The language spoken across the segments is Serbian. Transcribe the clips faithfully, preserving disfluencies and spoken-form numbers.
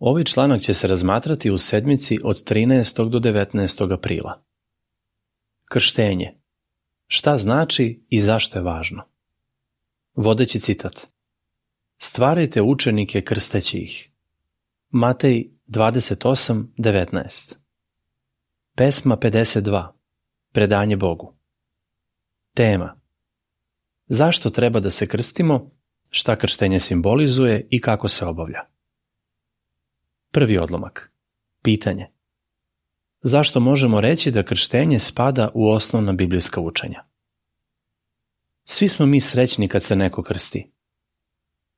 Ovaj članak će se razmatrati u sedmici od trinaestog do devetnaestog aprila. Krštenje. Šta znači i zašto je važno? Vodeći citat. Stvarajte učenike krsteći ih. Matej dvadeset osam devetnaest. Pesma pedeset dva. Predanje Bogu. Tema. Zašto treba da se krstimo, šta krštenje simbolizuje i kako se obavlja? Prvi odlomak. Pitanje. Zašto možemo reći da krštenje spada u osnovna biblijska učenja? Svi smo mi srećni kad se neko krsti.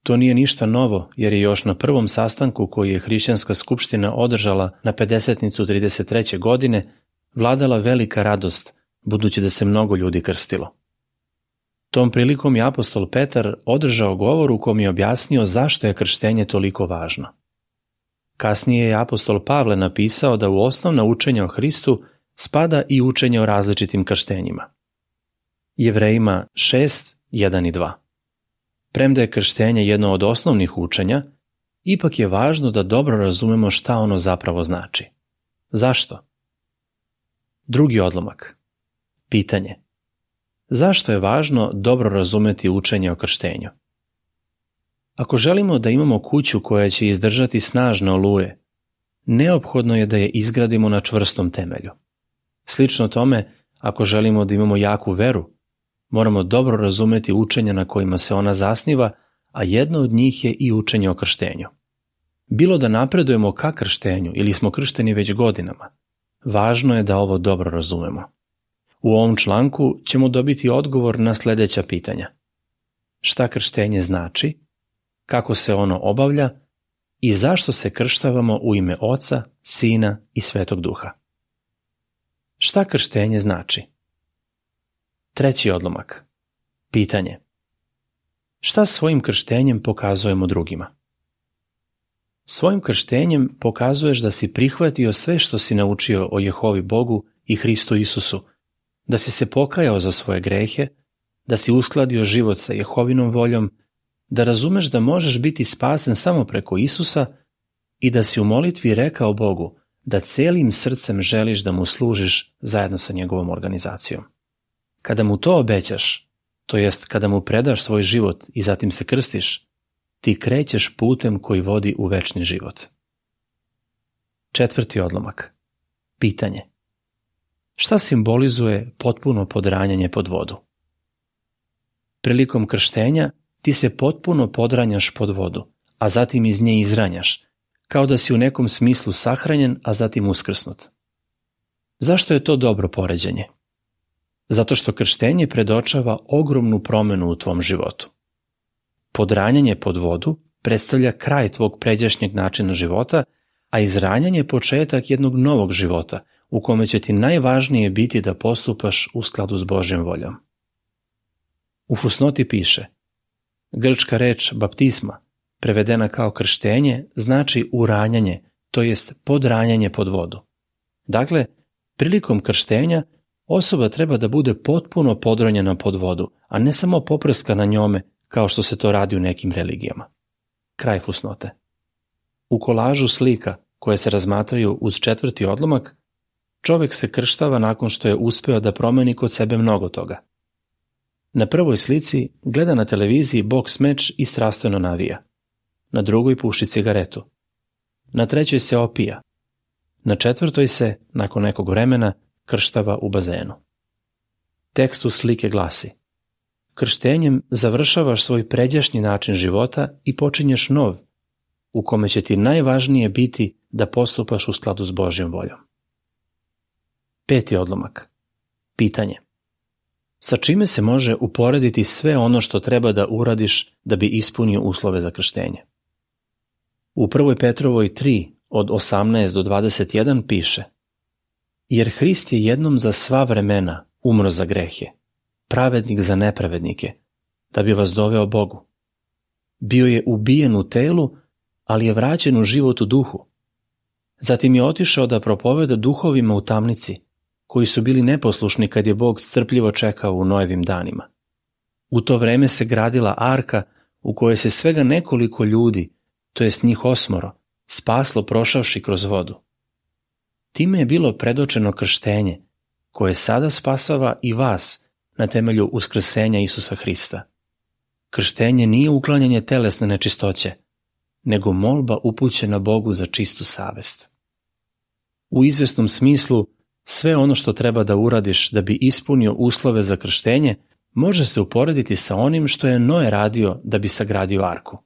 To nije ništa novo, jer je još na prvom sastanku koji je Hrišćanska skupština održala na pedesetnicu trideset treće godine vladala velika radost, budući da se mnogo ljudi krstilo. Tom prilikom je apostol Petar održao govor u kom je objasnio zašto je krštenje toliko važno. Kasnije je apostol Pavle napisao da u osnovna učenja o Hristu spada i učenje o različitim krštenjima. Jevrejima šest, jedan i dva. Premda je krštenje jedno od osnovnih učenja, ipak je važno da dobro razumemo šta ono zapravo znači. Zašto? Drugi odlomak. Pitanje. Zašto je važno dobro razumeti učenje o krštenju? Ako želimo da imamo kuću koja će izdržati snažne oluje, neophodno je da je izgradimo na čvrstom temelju. Slično tome, ako želimo da imamo jaku veru, moramo dobro razumeti učenja na kojima se ona zasniva, a jedno od njih je i učenje o krštenju. Bilo da napredujemo ka krštenju ili smo kršteni već godinama, važno je da ovo dobro razumemo. U ovom članku ćemo dobiti odgovor na sljedeća pitanja. Šta krštenje znači, kako se ono obavlja i zašto se krštavamo u ime Oca, Sina i Svetog Duha. Šta krštenje znači? Treći odlomak. Pitanje. Šta svojim krštenjem pokazujemo drugima? Svojim krštenjem pokazuješ da si prihvatio sve što si naučio o Jehovi Bogu i Hristu Isusu, da si se pokajao za svoje grehe, da si uskladio život sa Jehovinom voljom, da razumeš da možeš biti spasen samo preko Isusa i da si u molitvi rekao Bogu da celim srcem želiš da mu služiš zajedno sa njegovom organizacijom. Kada mu to obećaš, to jest kada mu predaš svoj život i zatim se krstiš, ti krećeš putem koji vodi u večni život. Četvrti odlomak. Pitanje. Šta simbolizuje potpuno podranjanje pod vodu? Prilikom krštenja ti se potpuno podranjaš pod vodu, a zatim iz nje izranjaš, kao da si u nekom smislu sahranjen, a zatim uskrsnut. Zašto je to dobro poređenje? Zato što krštenje predočava ogromnu promenu u tvom životu. Podranjanje pod vodu predstavlja kraj tvog pređašnjeg načina života, a izranjanje početak jednog novog života, u kome će ti najvažnije biti da postupaš u skladu s Božjom voljom. U fusnoti piše: grčka reč baptisma, prevedena kao krštenje, znači uranjanje, to jest podranjanje pod vodu. Dakle, prilikom krštenja osoba treba da bude potpuno podranjena pod vodu, a ne samo poprskana njome, kao što se to radi u nekim religijama. Kraj fusnote. U kolažu slika, koje se razmatraju uz četvrti odlomak, čovjek se krštava nakon što je uspeo da promeni kod sebe mnogo toga. Na prvoj slici gleda na televiziji boks meč i strastveno navija. Na drugoj puši cigaretu. Na trećoj se opija. Na četvrtoj se, nakon nekog vremena, krštava u bazenu. Tekst uz slike glasi: krštenjem završavaš svoj pređašnji način života i počinješ nov, u kome će ti najvažnije biti da postupaš u skladu s Božjom voljom. Peti odlomak. Pitanje. Sa čime se može uporediti sve ono što treba da uradiš da bi ispunio uslove za krštenje? U prvoj Petrovoj tri od osamnaest do dvadeset jedan piše: jer Hrist je jednom za sva vremena umro za grehe, pravednik za nepravednike, da bi vas doveo Bogu. Bio je ubijen u telu, ali je vraćen u život u duhu. Zatim je otišao da propoveda duhovima u tamnici, koji su bili neposlušni kad je Bog strpljivo čekao u Noevim danima. U to vreme se gradila arka u kojoj se svega nekoliko ljudi, to jest njih osmoro, spaslo prošavši kroz vodu. Time je bilo predočeno krštenje, koje sada spasava i vas na temelju uskrsenja Isusa Hrista. Krštenje nije uklanjanje telesne nečistoće, nego molba upućena Bogu za čistu savest. U izvjesnom smislu, sve ono što treba da uradiš da bi ispunio uslove za krštenje može se uporediti sa onim što je Noe radio da bi sagradio arku.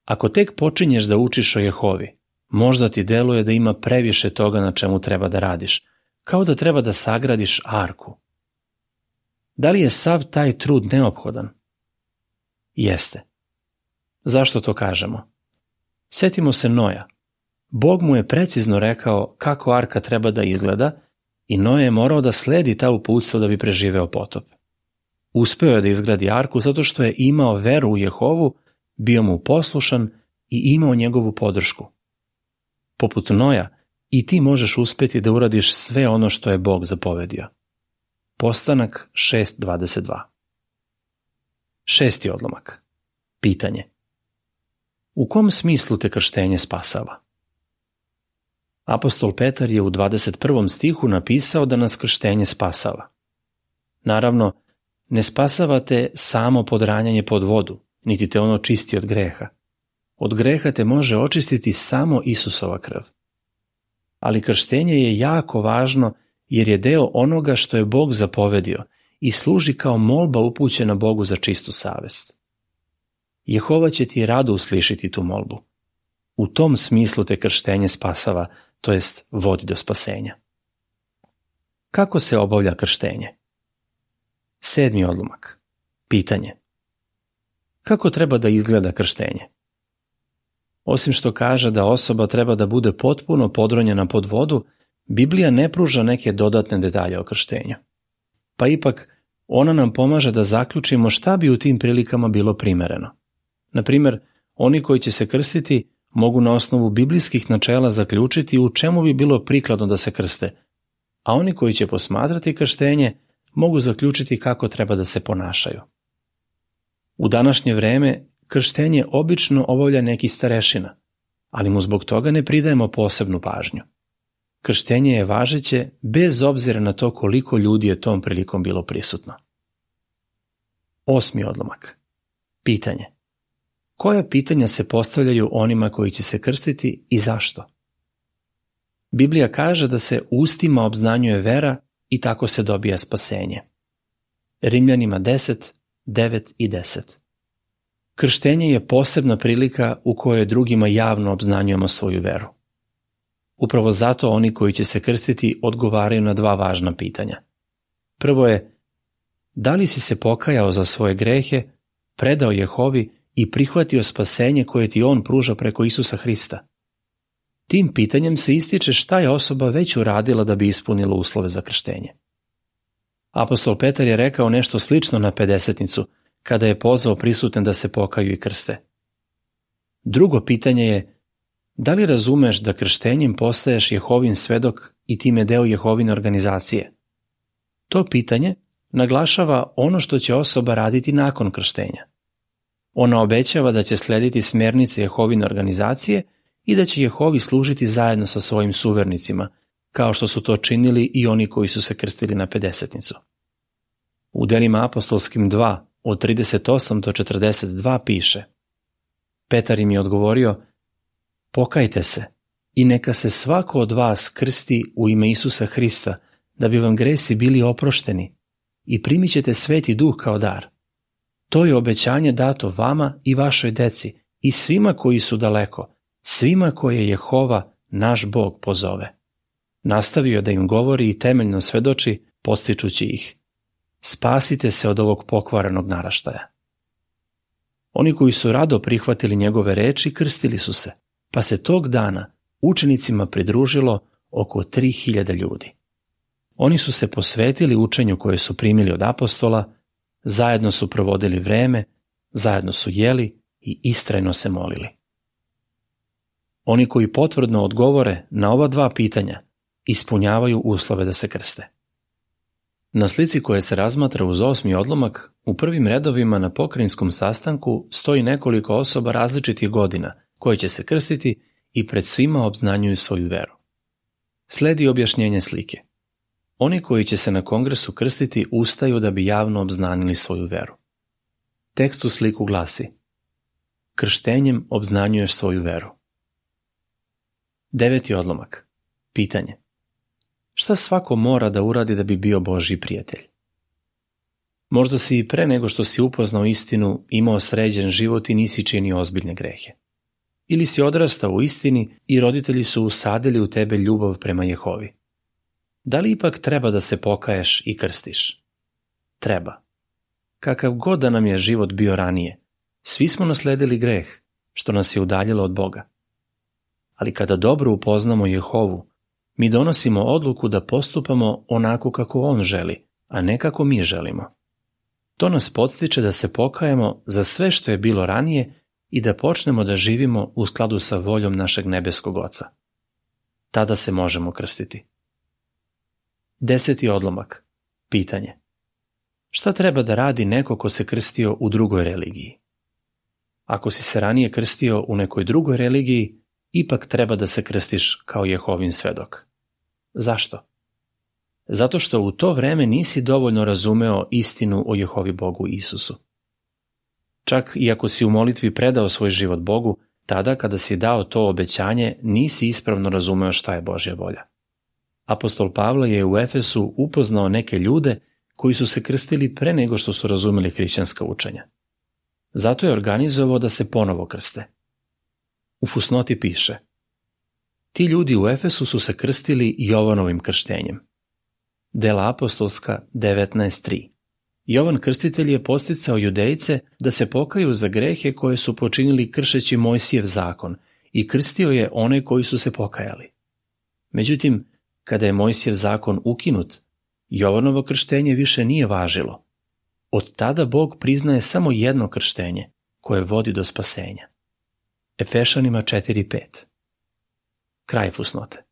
Ako tek počinješ da učiš o Jehovi, možda ti deluje da ima previše toga na čemu treba da radiš, kao da treba da sagradiš arku. Da li je sav taj trud neophodan? Jeste. Zašto to kažemo? Setimo se Noja. Bog mu je precizno rekao kako arka treba da izgleda i Noe je morao da sledi ta uputstva da bi preživeo potop. Uspeo je da izgradi arku zato što je imao veru u Jehovu, bio mu poslušan i imao njegovu podršku. Poput Noja, i ti možeš uspjeti da uradiš sve ono što je Bog zapovedio. Postanak šest dvadeset dva. Šesti odlomak. Pitanje. U kom smislu te krštenje spasava? Apostol Petar je u dvadeset prvom stihu napisao da nas krštenje spasava. Naravno, ne spasava te samo podranjanje pod vodu, niti te ono čisti od greha. Od greha te može očistiti samo Isusova krv. Ali krštenje je jako važno jer je deo onoga što je Bog zapovedio i služi kao molba upućena Bogu za čistu savest. Jehova će ti rado uslišiti tu molbu. U tom smislu te krštenje spasava, to jest vodi do spasenja. Kako se obavlja krštenje? Sedmi odlomak. Pitanje. Kako treba da izgleda krštenje? Osim što kaže da osoba treba da bude potpuno podronjena pod vodu, Biblija ne pruža neke dodatne detalje o krštenju. Pa ipak, ona nam pomaže da zaključimo šta bi u tim prilikama bilo primereno. Na primjer, oni koji će se krstiti mogu na osnovu biblijskih načela zaključiti u čemu bi bilo prikladno da se krste, a oni koji će posmatrati krštenje mogu zaključiti kako treba da se ponašaju. U današnje vreme krštenje obično obavlja neki starešina, ali mu zbog toga ne pridajemo posebnu pažnju. Krštenje je važeće bez obzira na to koliko ljudi je tom prilikom bilo prisutno. Osmi odlomak. Pitanje. Koja pitanja se postavljaju onima koji će se krstiti i zašto? Biblija kaže da se ustima obznanjuje vera i tako se dobija spasenje. Rimljanima deset, devet i deset. Krštenje je posebna prilika u kojoj drugima javno obznanjujemo svoju veru. Upravo zato oni koji će se krstiti odgovaraju na dva važna pitanja. Prvo je, da li si se pokajao za svoje grehe, predao Jehovi i prihvatio spasenje koje ti on pruža preko Isusa Hrista? Tim pitanjem se ističe šta je osoba već uradila da bi ispunila uslove za krštenje. Apostol Petar je rekao nešto slično na pedesetnicu, kada je pozvao prisutne da se pokaju i krste. Drugo pitanje je, da li razumeš da krštenjem postaješ Jehovin svedok i time deo Jehovine organizacije? To pitanje naglašava ono što će osoba raditi nakon krštenja. Ona obećava da će slediti smjernice Jehovine organizacije i da će Jehovi služiti zajedno sa svojim suvernicima, kao što su to činili i oni koji su se krstili na pedesetnicu. U delima apostolskim dva, od trideset osam do četrdeset dva piše: Petar im je odgovorio, pokajte se i neka se svako od vas krsti u ime Isusa Hrista, da bi vam gresi bili oprošteni i primit ćete Sveti Duh kao dar. To je obećanje dato vama i vašoj deci i svima koji su daleko, svima koje Jehova, naš Bog, pozove. Nastavio da im govori i temeljno svedoči, podstičući ih. Spasite se od ovog pokvarenog naraštaja. Oni koji su rado prihvatili njegove reči krstili su se, pa se tog dana učenicima pridružilo oko tri hiljade ljudi. Oni su se posvetili učenju koje su primili od apostola, zajedno su provodili vreme, zajedno su jeli i istrajno se molili. Oni koji potvrdno odgovore na ova dva pitanja ispunjavaju uslove da se krste. Na slici koja se razmatra uz osmi odlomak, u prvim redovima na pokrajinskom sastanku stoji nekoliko osoba različitih godina koje će se krstiti i pred svima obznanjuju svoju veru. Sledi objašnjenje slike. Oni koji će se na kongresu krstiti ustaju da bi javno obznanili svoju veru. Tekst u sliku glasi: krštenjem obznanjuješ svoju veru. Deveti odlomak. Pitanje. Šta svako mora da uradi da bi bio Božji prijatelj? Možda si i pre nego što si upoznao istinu imao sređen život i nisi činio ozbiljne grehe. Ili si odrastao u istini i roditelji su usadili u tebe ljubav prema Jehovi. Da li ipak treba da se pokaješ i krstiš? Treba. Kakav god da nam je život bio ranije, svi smo nasledili greh, što nas je udaljilo od Boga. Ali kada dobro upoznamo Jehovu, mi donosimo odluku da postupamo onako kako On želi, a ne kako mi želimo. To nas podstiče da se pokajemo za sve što je bilo ranije i da počnemo da živimo u skladu sa voljom našeg nebeskog Oca. Tada se možemo krstiti. Deseti odlomak. Pitanje. Šta treba da radi neko ko se krstio u drugoj religiji? Ako si se ranije krstio u nekoj drugoj religiji, ipak treba da se krstiš kao Jehovin svedok. Zašto? Zato što u to vreme nisi dovoljno razumeo istinu o Jehovi Bogu Isusu. Čak i ako si u molitvi predao svoj život Bogu, tada kada si dao to obećanje, nisi ispravno razumeo šta je Božja volja. Apostol Pavle je u Efesu upoznao neke ljude koji su se krstili pre nego što su razumeli hrišćanska učenja. Zato je organizovao da se ponovo krste. U fusnoti piše: ti ljudi u Efesu su se krstili Jovanovim krštenjem. Dela apostolska devetnaest tri. Jovan Krstitelj je podsticao Judejce da se pokaju za grehe koje su počinili kršeći Mojsijev zakon i krstio je one koji su se pokajali. Međutim, kada je Mojsijev zakon ukinut, Jovanovo krštenje više nije važilo. Od tada Bog priznaje samo jedno krštenje, koje vodi do spasenja. Efešanima četiri pet. Kraj fusnote.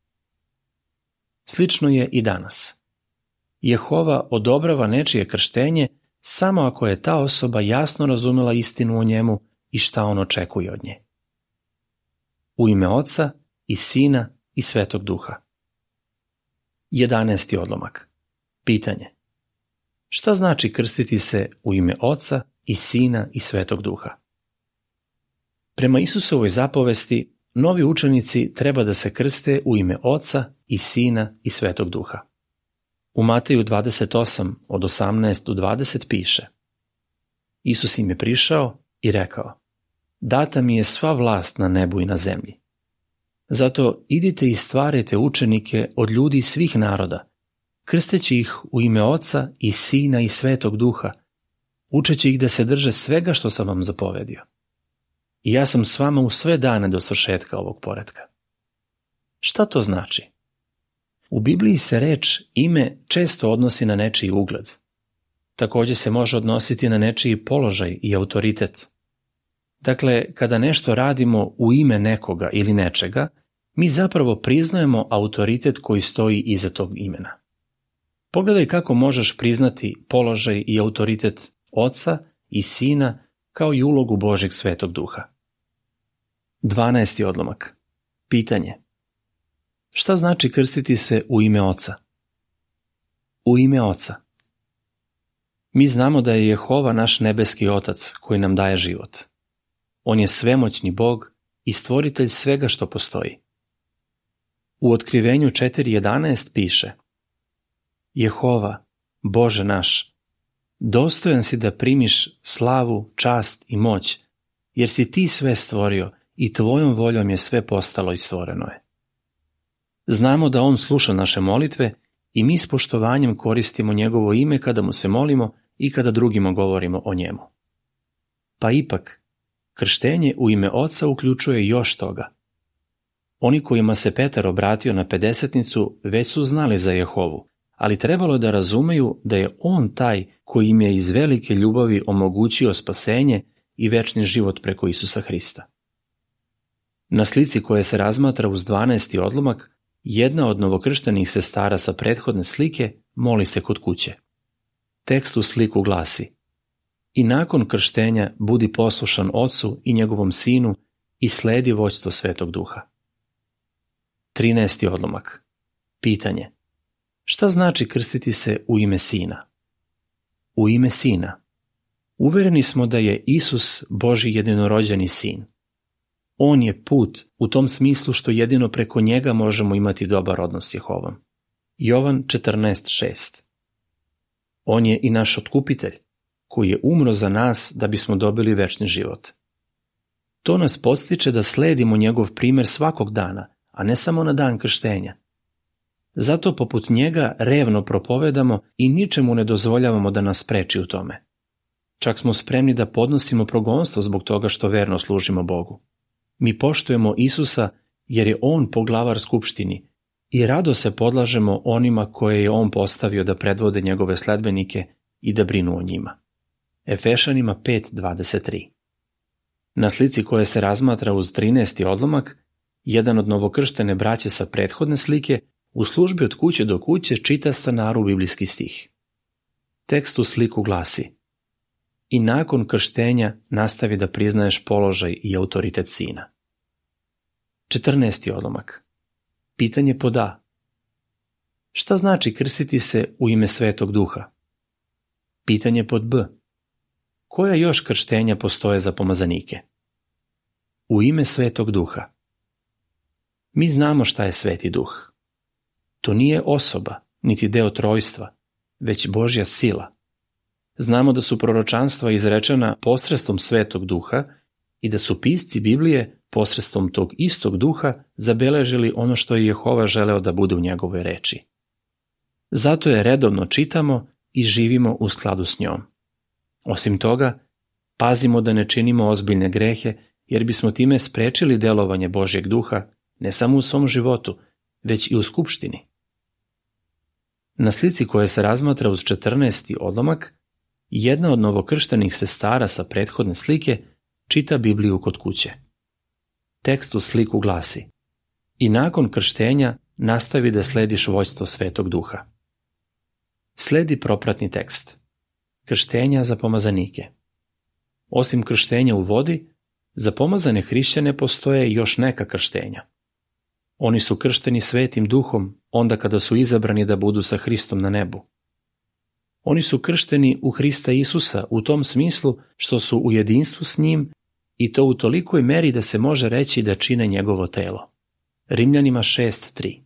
Slično je i danas. Jehova odobrava nečije krštenje samo ako je ta osoba jasno razumela istinu o njemu i šta on očekuje od nje. U ime Oca i Sina i Svetog Duha. Jedanesti odlomak. Pitanje. Šta znači krstiti se u ime Oca i Sina i Svetog Duha? Prema Isusovoj zapovesti, novi učenici treba da se krste u ime Oca i Sina i Svetog Duha. U Mateju dvadeset osam od osamnaest do dvadeset piše: Isus im je prišao i rekao: data mi je sva vlast na nebu i na zemlji. Zato idite i stvarajte učenike od ljudi svih naroda, krsteći ih u ime Oca i Sina i Svetog Duha, učeći ih da se drže svega što sam vam zapovedio. I ja sam s vama u sve dane do svršetka ovog poretka. Šta to znači? U Bibliji se reč ime često odnosi na nečiji ugled. Također se može odnositi na nečiji položaj i autoritet. Dakle, kada nešto radimo u ime nekoga ili nečega, mi zapravo priznajemo autoritet koji stoji iza tog imena. Pogledaj kako možeš priznati položaj i autoritet Oca i Sina kao i ulogu Božjeg Svetog Duha. Dvanaesti odlomak. Pitanje. Šta znači krstiti se u ime Oca? U ime Oca. Mi znamo da je Jehova naš nebeski Otac koji nam daje život. On je svemoćni Bog i stvoritelj svega što postoji. U Otkrivenju četiri jedanaest piše: Jehova, Bože naš, dostojan si da primiš slavu, čast i moć, jer si ti sve stvorio i tvojom voljom je sve postalo i stvoreno je. Znamo da on sluša naše molitve i mi s poštovanjem koristimo njegovo ime kada mu se molimo i kada drugima govorimo o njemu. Pa ipak, krštenje u ime Oca uključuje još toga. Oni kojima se Petar obratio na pedesetnicu već su znali za Jehovu, ali trebalo je da razumeju da je on taj koji im je iz velike ljubavi omogućio spasenje i večni život preko Isusa Hrista. Na slici koja se razmatra uz dvanaesti odlomak, jedna od novokrštenih sestara sa prethodne slike moli se kod kuće. Tekst u sliku glasi: I nakon krštenja budi poslušan Ocu i njegovom Sinu i sledi vođstvo Svetog Duha. trinaesti odlomak. Pitanje. Šta znači krstiti se u ime Sina? U ime Sina. Uvereni smo da je Isus Božji jedinorođeni Sin. On je put u tom smislu što jedino preko njega možemo imati dobar odnos s Jehovom. Jovan četrnaest šest. On je i naš otkupitelj, koji je umro za nas da bismo dobili večni život. To nas podstiče da sledimo njegov primer svakog dana, a ne samo na dan krštenja. Zato poput njega revno propovedamo i ničemu ne dozvoljavamo da nas spreči u tome. Čak smo spremni da podnosimo progonstvo zbog toga što verno služimo Bogu. Mi poštujemo Isusa jer je On poglavar skupštini i rado se podlažemo onima koje je On postavio da predvode njegove sledbenike i da brinu o njima. Efešanima pet dvadeset tri. Na slici koja se razmatra uz trinaesti odlomak, jedan od novokrštene braće sa prethodne slike u službi od kuće do kuće čita stanaru biblijski stih. Tekst u sliku glasi: I nakon krštenja nastavi da priznaješ položaj i autoritet Sina. četrnaesti odlomak. Pitanje pod A. Šta znači krstiti se u ime Svetog Duha? Pitanje pod B. Koja još krštenja postoje za pomazanike? U ime Svetog Duha. Mi znamo šta je Sveti Duh. To nije osoba, niti deo trojstva, već Božja sila. Znamo da su proročanstva izrečena posredstvom Svetog Duha i da su pisci Biblije posredstvom tog istog Duha zabeležili ono što je Jehova želeo da bude u njegovoj reči. Zato je redovno čitamo i živimo u skladu s njom. Osim toga, pazimo da ne činimo ozbiljne grehe, jer bismo time sprečili delovanje Božjeg Duha ne samo u svom životu, već i u skupštini. Na slici koja se razmatra uz četrnaesti odlomak, jedna od novokrštenih sestara sa prethodne slike čita Bibliju kod kuće. Tekst u sliku glasi: I nakon krštenja nastavi da slediš vođstvo Svetog Duha. Sledi propratni tekst. Krštenja za pomazanike. Osim krštenja u vodi, za pomazane hrišćane postoje još neka krštenja. Oni su kršteni Svetim Duhom onda kada su izabrani da budu sa Hristom na nebu. Oni su kršteni u Hrista Isusa u tom smislu što su u jedinstvu s njim i to u tolikoj meri da se može reći da čine njegovo telo. Rimljanima šest tri.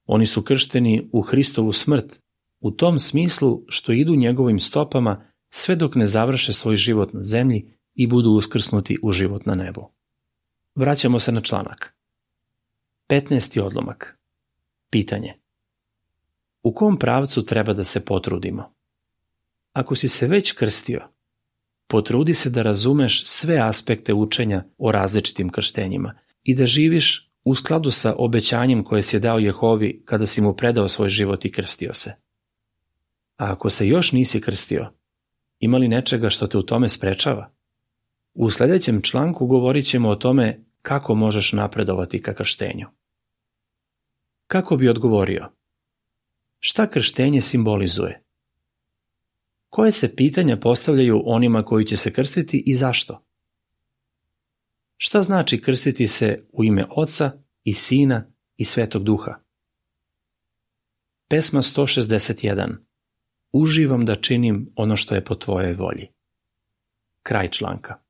Oni su kršteni u Hristovu smrt u tom smislu što idu njegovim stopama sve dok ne završe svoj život na zemlji i budu uskrsnuti u život na nebu. Vraćamo se na članak. petnaesti odlomak. Pitanje. U kom pravcu treba da se potrudimo? Ako si se već krstio, potrudi se da razumeš sve aspekte učenja o različitim krštenjima i da živiš u skladu sa obećanjem koje si je dao Jehovi kada si mu predao svoj život i krstio se. A ako se još nisi krstio, ima li nečega što te u tome sprečava? U sljedećem članku govorit ćemo o tome kako možeš napredovati ka krštenju. Kako bi odgovorio? Šta krštenje simbolizuje? Koje se pitanja postavljaju onima koji će se krstiti i zašto? Šta znači krstiti se u ime Oca i Sina i Svetog Duha? Pesma sto šezdeset jedan. Uživam da činim ono što je po tvojoj volji. Kraj članka.